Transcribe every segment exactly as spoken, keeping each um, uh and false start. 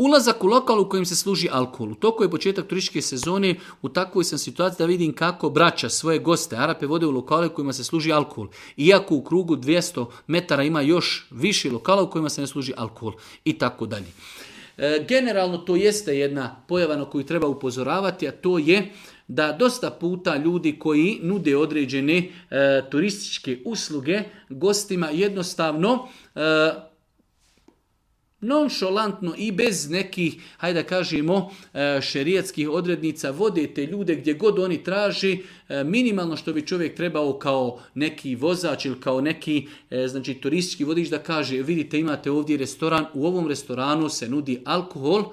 Ulazak u lokal u kojem se služi alkohol. U toku je početak turističke sezone, u takvoj sam situaciji da vidim kako braća svoje goste, Arape, vode u lokale u kojima se služi alkohol. Iako u krugu dvjesto metara ima još više lokala u kojima se ne služi alkohol i tako dalje. E, generalno to jeste jedna pojava na koju treba upozoravati, a to je da dosta puta ljudi koji nude određene e, turističke usluge gostima jednostavno e, nonšalantno i bez nekih, hajde da kažemo, šerijatskih odrednica vode te ljude gdje god oni traži, minimalno što bi čovjek trebao kao neki vozač ili kao neki znači, turistički vodič da kaže, vidite imate ovdje restoran, u ovom restoranu se nudi alkohol,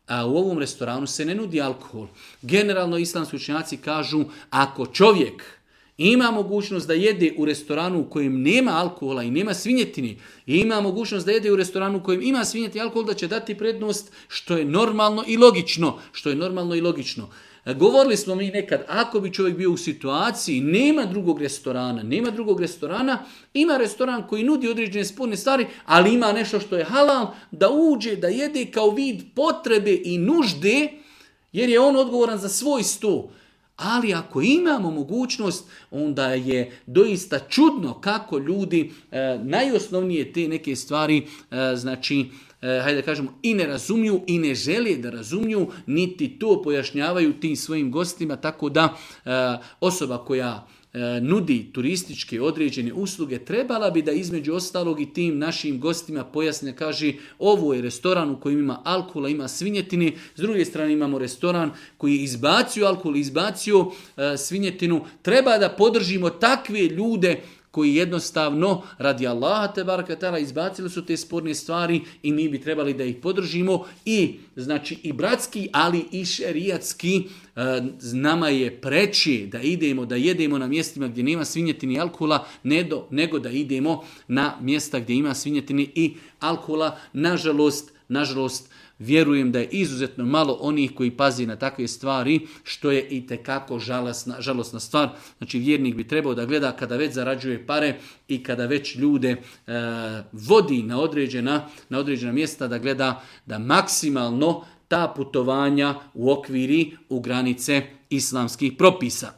a u ovom restoranu se ne nudi alkohol. Generalno islamski učenjaci kažu, ako čovjek ima mogućnost da jede u restoranu u kojem nema alkohola i nema svinjetine, i ima mogućnost da jede u restoranu u kojem ima svinjetine i alkohol, da će dati prednost, što je normalno i logično. Što je normalno i logično. Govorili smo mi nekad, ako bi čovjek bio u situaciji, nema drugog restorana, nema drugog restorana, ima restoran koji nudi određene sporne stvari, ali ima nešto što je halal, da uđe, da jede kao vid potrebe i nužde, jer je on odgovoran za svoj sto. Ali ako imamo mogućnost, onda je doista čudno kako ljudi e, najosnovnije te neke stvari, e, znači, e, hajde da kažemo, i ne razumiju i ne žele da razumiju, niti to pojašnjavaju tim svojim gostima, tako da e, osoba koja nudi turističke određene usluge, trebala bi da između ostalog i tim našim gostima pojasne, kaže, ovo je restoran u kojem ima alkohola, ima svinjetine, s druge strane imamo restoran koji je izbacio alkohol, izbacio e, svinjetinu, treba da podržimo takve ljude koji jednostavno radi Allaha te baraka taala izbacili su te sporne stvari i mi bi trebali da ih podržimo i znači i bratski, ali i šerijatski. E, nama je preći da idemo, da jedemo na mjestima gdje nema svinjetine i alkohola, nego, nego da idemo na mjesta gdje ima svinjetine i alkohola. Nažalost, nažalost, vjerujem da je izuzetno malo onih koji pazi na takve stvari, što je i tekako žalosna, žalosna stvar. Znači vjernik bi trebao da gleda kada već zarađuje pare i kada već ljude e, vodi na određena, na određena mjesta, da gleda da maksimalno ta putovanja u okviri u granice islamskih propisa.